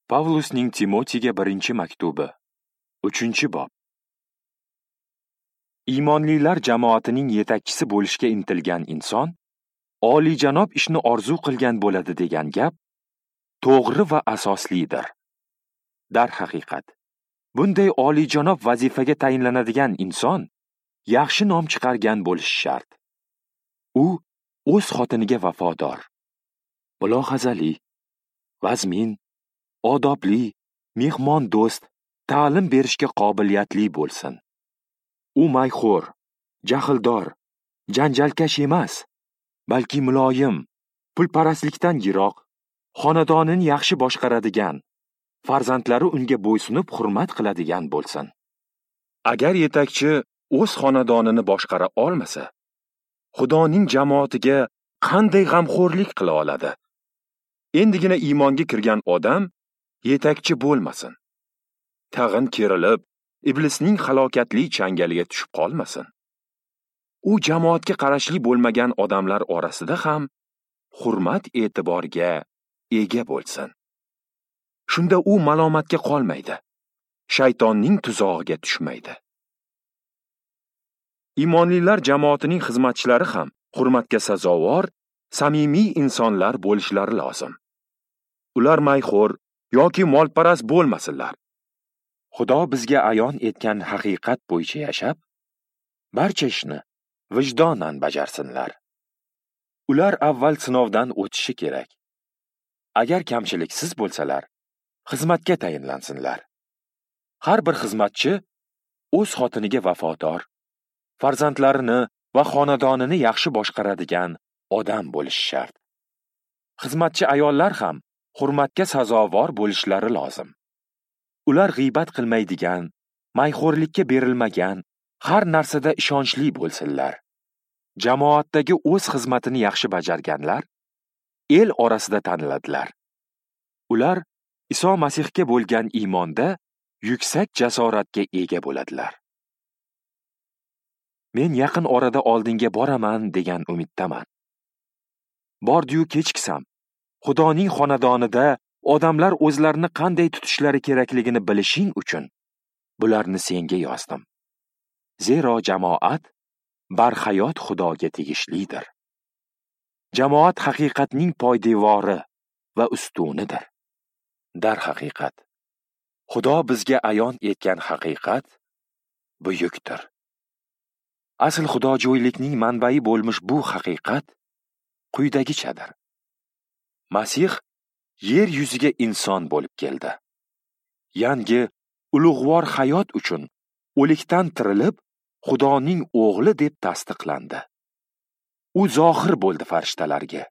Pavlusning Timotiyga birinchi maktubi, 3-bob. Iymonlilar jamoatining yetakchisi bo'lishga intilgan inson oliyjanob ishni orzu qilgan bo'ladi degan gap to'g'ri va asoslidir. Darhaqiqat, bunday oliyjanob vazifaga tayinlanadigan inson yaxshi nom chiqargan bo'lishi shart. U o'z xotiniga vafodor, mulohazali, vazmin, odobli, mehmondo'st, ta'lim berishga qobiliyatli bo'lsin. U mayxo'r, jahldor, janjalkash emas, balki muloyim, pulparastlikdan yiroq, xonadonini yaxshi boshqaradigan, farzandlari unga bo'ysunib hurmat qiladigan bo'lsin. Agar yetakchi o'z xonadonini boshqara olmasa, Xudoning jamoatiga qanday g'amxo'rlik qila oladi? Endigina iymonga kirgan odam yetakchi bo'lmasin. Tag'in kerilib, iblisning halokatli changaliga tushib qolmasin. U jamoatga qarashli bo'lmagan odamlar orasida ham hurmat e'tiborga ega bo'lsin. Shunda u malomatga qolmaydi, shaytonning tuzog'iga tushmaydi. Iymonlilar jamoatining xizmatchilari ham hurmatga sazovor, samimiy insonlar bo'lishlari lozim. Ular mayxo'r yoki molparast bo'lmasinlar. Xudo bizga ayon etgan haqiqat bo'yicha yashab, barcha ishni vijdonan bajarsinlar. Ular avval sinovdan o'tishi kerak. Agar kamchiliksiz bo'lsalar, xizmatga tayinlansinlar. Har bir xizmatchi o'z xotiniga vafodor, farzandlarini va xonadonini yaxshi boshqaradigan odam bo'lishi shart. Xizmatchi ayollar ham hurmatga sazovor bo'lishlari lozim. Ular g'iybat qilmaydigan, mayxo'rlikka berilmagan, har narsada ishonchli bo'lsinlar. Jamoatdagi o'z xizmatini yaxshi bajarganlar el orasida taniladilar. Ular Iso Masihga bo'lgan iymonda yuksak jasoratga ega bo'ladilar. Men yaqin orada oldinga boraman degan umiddaman. Bordi-yu kechiksam, Xudoning xonadonida odamlar o'zlarini qanday tutishlari kerakligini bilishing uchun bularni senga yozdim. Zero jamoat barhayot Xudoga tegishlidir. Jamoat haqiqatning poydevori va ustunidir. Darhaqiqat, Xudo bizga ayon etgan haqiqat buyukdir. Asl xudojo'ylikning manbai bo'lmish bu haqiqat quyidagichadir. Masih yer yuziga inson bo'lib keldi. Yangi ulug'vor hayot uchun o'likdan tirilib, Xudoning o'g'li deb tasdiqlandi. U zohir bo'ldi farishtalarga.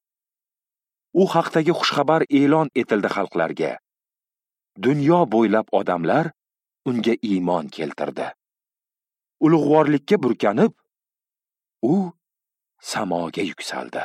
U haqdagi xushxabar e'lon etildi xalqlarga. Dunyo bo'ylab odamlar unga iymon keltirdi. Ulug'vorlikka burkanib, u samoga yuksaldi.